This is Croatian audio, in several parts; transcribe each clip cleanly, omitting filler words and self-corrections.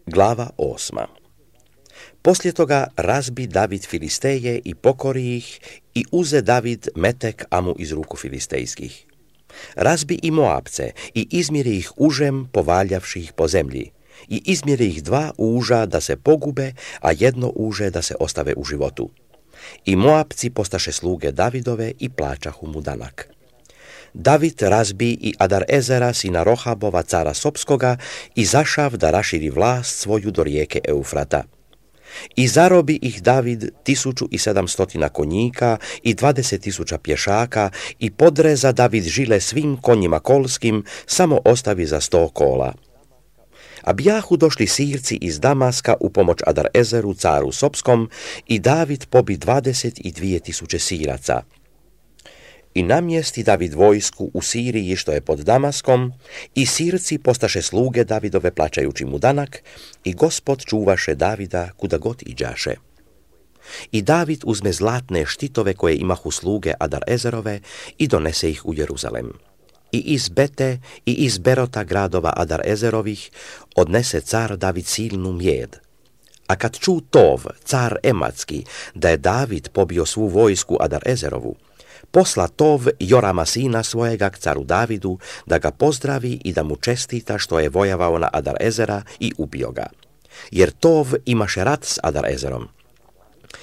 Glava 8. Poslije toga razbi David Filisteje i pokori ih i uze David metek Amu iz ruku filistejskih. Razbi i Moabce i izmjeri ih užem povaljavši ih po zemlji i izmjeri ih 2 uža da se pogube, a 1 uže da se ostave u životu. I Moabci postaše sluge Davidove i plaćahu mu danak. David razbi i Adar-ezera sina Rohabova cara Sopskoga i zašav da raširi vlast svoju do rijeke Eufrata. I zarobi ih David 1700 konjika i 20.000 pješaka i podreza David žile svim konjima kolskim, samo ostavi za 100 kola. A bijahu došli Sirci iz Damaska u pomoć Adar-ezeru caru Sopskom i David pobi 22.000 Siraca. I namjesti David vojsku u Siriji što je pod Damaskom i Sirci postaše sluge Davidove plaćajući mu danak i Gospod čuvaše Davida kuda god iđaše. I David uzme zlatne štitove koje imahu sluge Adar-ezerove i donese ih u Jeruzalem. I iz Bete i iz Berota gradova Adar-ezerovih odnese car David silnu mjed. A kad ču Tov, car Ematski, da je David pobio svu vojsku Adar-ezerovu, posla Tov Jorama sina svojega k caru Davidu da ga pozdravi i da mu čestita što je vojavao na Adar-ezera i ubio ga. Jer Tov imaše rat s Adar-ezerom.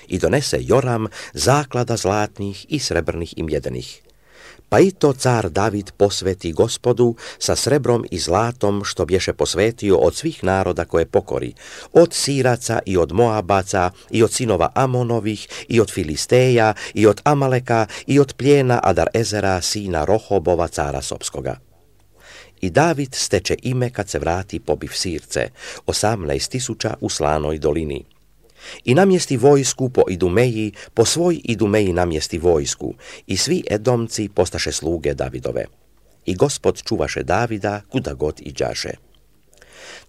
I donese Joram zaklada zlatnih i srebrnih i mjedenih. Pa i to car David posveti Gospodu sa srebrom i zlatom što bješe posvetio od svih naroda koje pokori, od Siraca i od Moabaca i od sinova Amonovih i od Filisteja i od Amaleka i od plijena Adar-ezera sina Rohobova cara Sopskoga. I David steče ime kad se vrati pobiv Sirce, 18.000 u Slanoj dolini. I namjesti vojsku po Idumeji, po svoj Idumeji namjesti vojsku, i svi Edomci postaše sluge Davidove. I Gospod čuvaše Davida kuda god iđaše.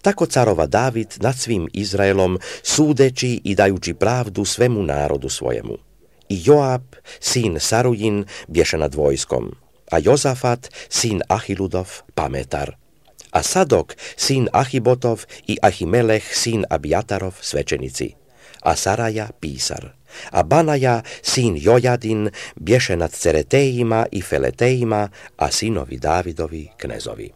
Tako carova David nad svim Izraelom, sudeći i dajući pravdu svemu narodu svojemu. I Joab, sin Sarujin, bješe nad vojskom, a Jozafat, sin Ahiludov, pametar. A Sadok, sin Ahibotov i Ahimeleh, sin Abijatarov, svećenici. A Saraja pisar, a Banaja, sin Jojadin, bješe nad Ceretejima i Feletejima, a sinovi Davidovi knezovi.